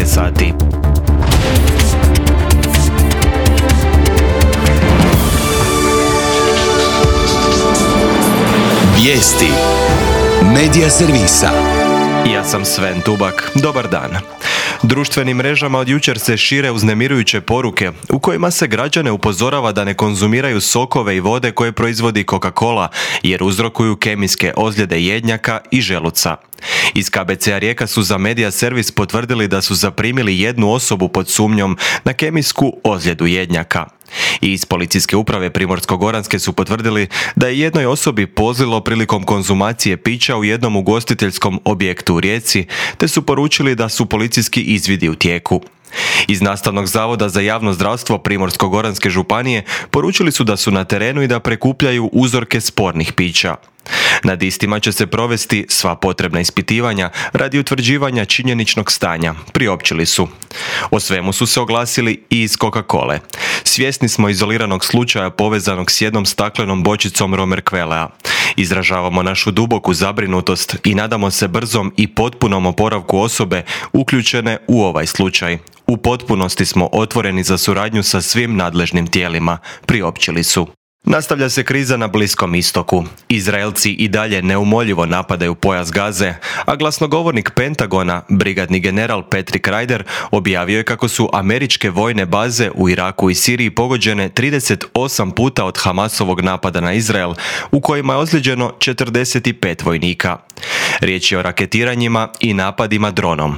je sati. Vijesti Medija servisa. Ja sam Sven Tubak. Dobar dan. Društvenim mrežama od jučer se šire uznemirujuće poruke u kojima se građane upozorava da ne konzumiraju sokove i vode koje proizvodi Coca-Cola jer uzrokuju kemijske ozljede jednjaka i želuca. Iz KBC-a Rijeka su za Medija servis potvrdili da su zaprimili jednu osobu pod sumnjom na kemijsku ozljedu jednjaka. I iz policijske uprave Primorsko-goranske su potvrdili da je jednoj osobi pozlilo prilikom konzumacije pića u jednom ugostiteljskom objektu u Rijeci, te su poručili da su policijski izvidi u tijeku. Iz Nastavnog zavoda za javno zdravstvo Primorsko-goranske županije poručili su da su na terenu i da prikupljaju uzorke spornih pića. Nad istima će se provesti sva potrebna ispitivanja radi utvrđivanja činjeničnog stanja, priopćili su. O svemu su se oglasili i iz Coca-Cole. Svjesni smo izoliranog slučaja povezanog s jednom staklenom bočicom Romerquelea. Izražavamo našu duboku zabrinutost i nadamo se brzom i potpunom oporavku osobe uključene u ovaj slučaj. U potpunosti smo otvoreni za suradnju sa svim nadležnim tijelima, priopćili su. Nastavlja se kriza na Bliskom istoku. Izraelci i dalje neumoljivo napadaju pojas Gaze, a glasnogovornik Pentagona, brigadni general Patrick Ryder, objavio je kako su američke vojne baze u Iraku i Siriji pogođene 38 puta od Hamasovog napada na Izrael, u kojima je ozlijeđeno 45 vojnika. Riječ je o raketiranjima i napadima dronom.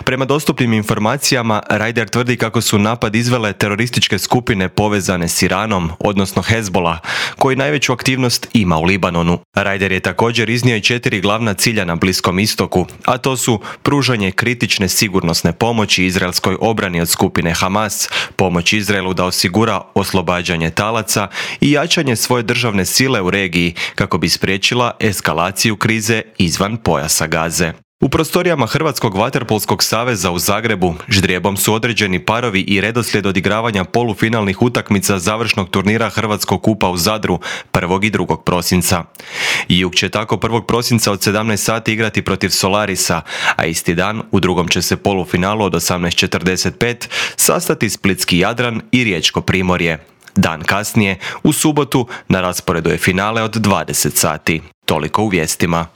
Prema dostupnim informacijama, Ryder tvrdi kako su napad izvele terorističke skupine povezane s Iranom, odnosno Hezbollah, koji najveću aktivnost ima u Libanonu. Ryder je također iznio i 4 glavna cilja na Bliskom istoku, a to su pružanje kritične sigurnosne pomoći izraelskoj obrani od skupine Hamas, pomoć Izraelu da osigura oslobađanje talaca i jačanje svoje državne sile u regiji kako bi spriječila eskalaciju krize izvan pojasa Gaze. U prostorijama Hrvatskog vaterpolskog saveza u Zagrebu ždrijebom su određeni parovi i redoslijed odigravanja polufinalnih utakmica završnog turnira Hrvatskog kupa u Zadru 1. i 2. prosinca. Jug će tako 1. prosinca od 17 sati igrati protiv Solarisa, a isti dan u drugom će se polufinalu od 18:45 sastati Splitski Jadran i Riječko Primorje. Dan kasnije, u subotu, na rasporedu je finale od 20 sati. Toliko u vijestima.